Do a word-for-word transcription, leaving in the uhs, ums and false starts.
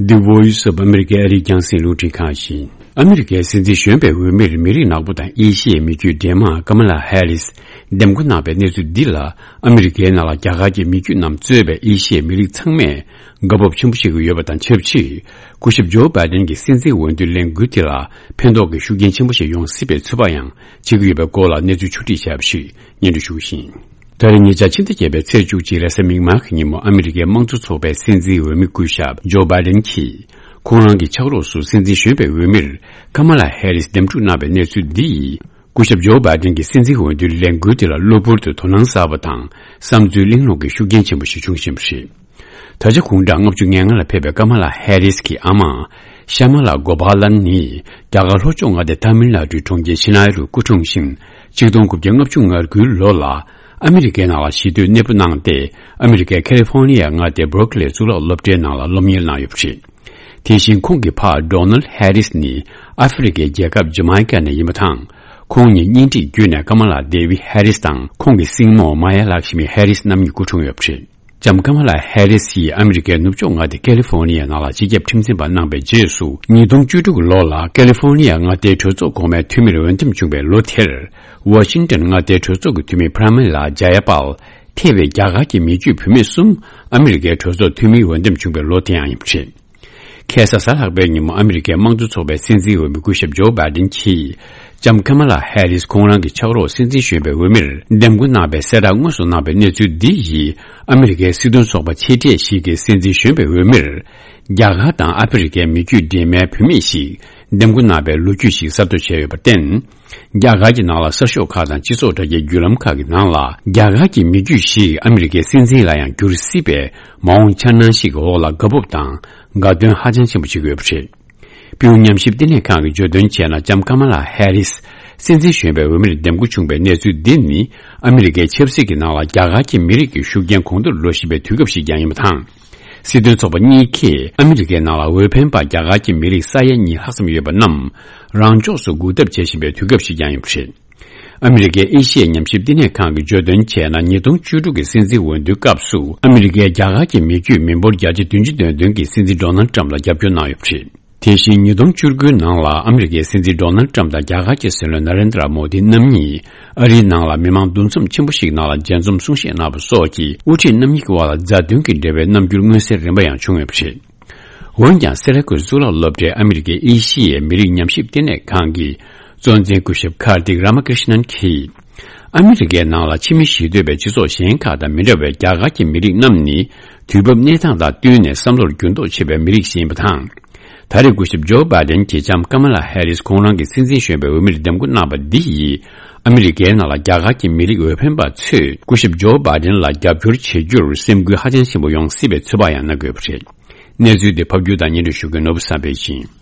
The Voice of America ཨ་རིའི་རྒྱང་སྲིང་རླུང་འཕྲིན་ཁང་ཡིན། ཨ་མི་རི་ཀའི་སྲིད་འཛིན་གཞོན་པའི་འོས་མིར་མི་རིགས་ནག་པོ་དང་ཨེ་ཤི་ཡའི་མི་རྒྱུད་འདྲེས་མ་ཀ་མ་ལ་ཧེ་རིས་འདེམས་བསྐོ་གནང་བའི་གནས་ཚུལ་འདི་ལ། ཨ་མི་རི་ཀའི་ནང་ལ་རྒྱ་གར་གྱི་མི་རྒྱུད་རྣམས་གཙོས་པའི་ཨེ་ཤི་ཡའི་མི་རིགས་ཚང་མས་དགའ་སྤོབས་ཆེན་པོ་བྱེད་ཀྱི་ཡོད་པ་དང་ཆབས་ཅིག་སྐུ་ཞབས་ཇོ་བྷའི་ཌེན་གྱི་སྲིད་འཛིན་འོས་བསྡུའི་ལས་འགུལ་དེ་ལ་ཕན་ཐོགས་ཀྱི་ཤུགས་རྐྱེན་ཆེན་པོ་ཞིག་ཡོང་སྲིད་པའི་ཚོད་དཔག་ཡང་བྱེད་ཀྱི་ཡོད་པའི་སྐོར་ལ་གནས་ཚུལ་ཕྱོགས་སྒྲིག་བྱས་པ་ཞིག་སྙན་སྒྲོན་ཞུ་གི་ཡིན། ད་རེས་ཉེ་ཆར་ཕྱི་ཟླ་བརྒྱད་པའི་ཚེས་བཅུ་གཅིག་རེས་གཟའ་མིག་དམར་གྱི་ཉིན་མོ། ཨ་མི་རི་ཀའི་དམངས་གཙོ་ཚོགས་པའི་སྲིད་འཛིན་འོས་མི་སྐུ་ཞབས་ཇོ་བྷའི་ཌེན་གྱིས་ཁོང་རང་གི་ཕྱག་རོགས་སུ་སྲིད་འཛིན་གཞོན་པའི་འོས་མིར་ཀ་མ་ལ་ཧེ་རིས་འདེམས་སྒྲུག་གནང་བའི་གནས་ཚུལ་འདི་ཡིས། སྐུ་ཞབས་ཇོ་བྷའི་ཌེན་གྱི་སྲིད་འཛིན་འོས་བསྡུའི་ལས་འགུལ་དེ་ལ་གློ་བུར་དུ་དོ་སྣང་གསར་པ་དང་བསམ་ཚུལ་གླེང་སློང་གི་ཤུགས་རྐྱེན་ཆེན་པོ་ཞིག་བྱུང་བཞིན་པ་རེད། ད་ཆ་དགུང་གྲངས་ལྔ་བཅུ་ང་ལྔ་ལ་ཕེབས་པའི་ཀ་མ་ལ་ཧེ་རིས་ཀྱི་ཨ་མ་ཤ་མ་ལ་གོ་པཱ་ལན་ནི་རྒྱ་གར་ལྷོ་ཕྱོགས་མངའ་སྡེ་ཐ་མིལ་ནཱ་ཌུའི་གྲོང་ཁྱེར་ཆེ་ནའི་རུ་སྐུ་འཁྲུངས་ཤིང་། ཆིག་སྟོང་དགུ་བརྒྱ་ལྔ་བཅུ་ང་དགུའི་ལོ་ལ་ཨ་མི་རི་ཀའི་ནང་ལ་གཞིས་སྡོད་གནས་སྤོ་གནང་སྟེ། ཨ་མི་རི་ཀའི་ཁ་ལི་ཧྥོ་ནི་ཡའི་མངའ་སྡེའི་སྦར་ཀ་ལི་གཙུག་ལག་སློབ་གྲྭའི་ནང་ལ་སློབ་གཉེར་གནང་ཡོད་པ་རེད། དེ་བཞིན་ཁོང་གི་ཕ་ཌོ་ནལ་ཧེ་རིས་ནི་ཨ་ཧྥེ་རི་ཁའི་རྒྱལ་ཁབ་ཇ་མའི་ཀ་ནས་ཡིན་པ་དང་། ཁོང་གཉིས་གཉེན་སྒྲིག་བརྒྱུད་ནས་ཀ་མ་ལ་དེ་བི་ཧེ་རིས་དང་ཁོང་གི་སྲིང་མོ་མ་ཡ་ལག་ཤི་མི་ཧེ་རིས་རྣམ་གཉིས་སྐུ་འཁྲུངས་ཡོད་པ་རེད། ལྕམ་ཀ་མ་ལ་ཧེ་རིས་ཡིས་ཨ་མི་རི་ཀའི་ནུབ་ཕྱོགས་མངའ་སྡེ་ཀ་ལི་ཧྥོ་ནི་ཡའི་ནང་ལ་སྤྱི་ཁྱབ་ཁྲིམས་འཛིན་པ་གནང་བའི་རྗེས་སུ། ཉིས་སྟོང་བཅུ་དྲུག་ལོ་ལ་ཀ་ལི་ཧྥོ་ནི་ཡའི་མངའ་སྡེའི་གྲོས་ཚོགས་གོང་མའི་འཐུས་མིར་འོས་འདེམས་བྱུང་བའི་ལོ་དེར། ཝ་ཤིང་ཊོན་མངའ་སྡེའི་གྲོས་ཚོགས་ཀྱི་འཐུས་མི་པྲ་མི་ལ་ཇ་ཡ་པཱལ། ཐེ་བའི་རྒྱ་གར་གྱི་མི་རྒྱུད་བུད་མེད་གསུམ་ཨ་མི་རི་ཀའི་གྲོས་ཚོགས་འཐུས་མིའི་འོས་འདེམས་བྱུང་བའི་ལོ་དེ་ཡང་ཡིན་པ་རེད། ཁ་སང་གཟའ་ལྷག་པའི་ཉིན་མོ། ཨ་མི་རི་ཀའི་དམངས་གཙོ་ཚོགས་པའི་སྲིད་འཛིན་འོས་མི་སྐུ་ཞབས་ཇོ་བྷའི་ཌེན་གྱིས་ལྕམ་ཀ་མ་ལ་ཧེ་རིས་ཁོང་རང་གི་ཕྱག་རོགས་སྲིད་འཛིན་གཞོན་པའི་འོས་མིར་འདེམས་བསྐོ་གནང་བའི་གསལ་བསྒྲགས་དངོས་སུ་གནང་བའི་གནས་ཚུལ་འདི་ཡིས། ཨ་མི་རི་ཀའི་སྲིད་དོན་ཚོགས་པ་ཆེ་གྲས་ཤིག་གིས་སྲིད་འཛིན་གཞོན་པའི་འོས་མིར་རྒྱ་གར་དང་ཨ་ཧྥེ་རི་ཁའི་མི་རྒྱུད་འདྲེས་མའི་བུད་མེད་ཞིག་འདེམས་བསྐོ་གནང་བའི་ལོ་རྒྱུས་ཤིག་གསར་གཏོད་བྱས་ཡོད་པར་བརྟེན། རྒྱ་གར་གྱི་ནང་ལ་གསར་ཤོག་ཁག་དང་སྤྱི་ཚོགས་དྲ་རྒྱའི་བརྒྱུད་ལམ་ཁག་གི་ནང་ལ། རྒྱ་གར་གྱི་མི་རྒྱུད་ཞིག་ཨ་མི་རི་ཀའི་སྲིད་འཛིན་ལ་ཡང་འགྱུར་སྲིད་པའི་མ་འོངས་འཆར་སྣང་ཞིག་གི་འོག་ལ་དགའ་སྤོབས་དང་དགའ་སྟོན་ཧ་ཅང་ཆེན་པོ་བྱེད་ཀྱི་ཡོད་པ་རེད། པིའུ་ཉམས་ཞིབ་བསྟི་གནས་ཁང་གིས་བརྗོད་དོན་བྱས་ན། ལྕམ་ཀ་མ་ལ་ཧེ་རིས་སྲིད་འཛིན་གཞོན་པའི་འོས་མིར་འདེམས་བསྐོ་བྱུང་བའི་གནས་ཚུལ་འདི་ནི། ཨ་མི་རི་ཀའི་ཆབ་སྲིད་ཀྱི་ནང་ལ་རྒྱ་གར་གྱི་མི་རིགས་ཀྱི་ཤུགས་རྐྱེན་གོང་མཐོར་འགྲོ་བཞིན་པའི་དུས་སྐབས་ཤིག་ཀྱང་ཡིན་པ་དང་། སྲིད་དོན་ཚོགས་པ་གཉིས་ཀས་ཨ་མི་རི་ཀའི་ནང་ལ་འོས་འཕེན་པ་རྒྱ་གར་གྱི་མི་རིགས་ས་ཡ་གཉིས་ལྷག་ཙམ་ཡོད་པ་རྣམས་རང་ཕྱོགས་སུ་འགུག་ཐབས་བྱེད་བཞིན་པའི་དུས་སྐབས་ཤིག་ཀྱང་ཡིན་པ་རེད། ཨ་མི་རི་ཀའི་ཨེ་ཤི་ཡའི་ཉམས་ཞིབ་བསྟི་གནས་ཁང་གིས་བརྗོད་དོན་བྱས་ན། ཉིས་སྟོང་བཅུ་དྲུག་གི་སྲིད་འཛིན་འོས་བསྡུའི་སྐབས་སུ། ཨ་མི་རི་ཀའི་རྒྱ་གར་གྱི་མི་རྒྱུད་མི་འབོར་བརྒྱ་ཆ་བདུན་ཅུ་དོན་བདུན་གྱིས་སྲིད་འཛིན་ཌོ་ནལ་ཏྲམ་ལ་རྒྱབ་སྐྱོར་གནང་ཡོད་པ་རེད། དེ་བཞིན་ཉིས་སྟོང་བཅུ་དགུའི་ནང་ལ་ཨ་མི་རི་ཀའི་སྲིད་འཛིན་ཌོ་ནལ་ཏྲམ་དང་རྒྱ་གར་གྱི་སྲིད་བློན་ན་རེན་དྲ་མོ་དི་རྣམ་གཉིས་ཨ་རིའི་ནང་ལ་མི་མང་འདུ་འཛོམས་ཆེན་པོ་ཞིག་ནང་ལ་མཇལ་འཛོམས་གསུང་བཤད་གནང་བ་སོགས་ཀྱིས་དབུ་ཁྲིད་རྣམ་གཉིས་ཀྱི་དབར་ལ་མཛའ་མཐུན་གྱི་འབྲེལ་བའི་རྣམ་འགྱུར་མངོན་གསལ་རིམ་པ་ཡང་བྱུང་ཡོད་པ་རེད། འོན་ཀྱང་། སེ་ར་ཀུ་གཙུག་ལག་སློབ་གྲྭའི་ཨ་མི་རི་ཀའི་ཨེ་ཤི་ཡའི་མི་རིགས་ཉམས་ཞིབ་བསྟི་གནས་ཁང་གི་གཙོ་འཛིན་སྐུ་ཞབས་ཀར་ཏིག་ར་མ་ཀྲི་ཤི་ནན་གྱིས། ཨ་མི་རི་ཀའི་ནང་ལ་ཕྱི་མི་གཞིས་སྡོད་པའི་སྤྱི་ཚོགས་གཞན་ཁག་དང་མི་འདྲ་བའི་རྒྱ་གར་གྱི་མི་རིགས་རྣམས་ནི། དུས་བབ་གནས་སྟངས་དང་བསྟུན་ནས་བསམ་བློར་འགྱུར་ལྡོག་ཆེ་བའི་མི་རིགས་ཤིག་ཡིན་པ་དང་། ད་རེས་སྐུ་ཞབས་ཇོ་བྷའི་ཌེན་གྱིས་ལྕམ་ཀ་མ་ལ་ཧེ་རིས་ཁོང་རང་གི་སྲིད་འཛིན་གཞོན་པའི་འོས་མིར་འདེམས་བསྐོ་གནང་བ་འདི་ཡིས། ཨ་མི་རི་ཀའི་ནང་ལ་རྒྱ་གར་གྱི་མི་རིགས་འོས་འཕེན་པ་ཚོས་སྐུ་ཞབས་ཇོ་བྷའི་ཌེན་ལ་རྒྱབ་སྐྱོར་བྱེད་རྒྱུར་སེམས་འགུལ་ཧ་ཅང་ཆེན་པོ་ཡོང་སྲིད་པའི་ཚོད་དཔག་ཡང་གནང་དགོས་པ་རེད། གནས་ཚུལ་འདི་ཕབ་སྒྱུར་དང་སྙན་སྒྲོན་ཞུ་མཁན་ནོར་བུ་བསམ་འཕེལ་ཡིན།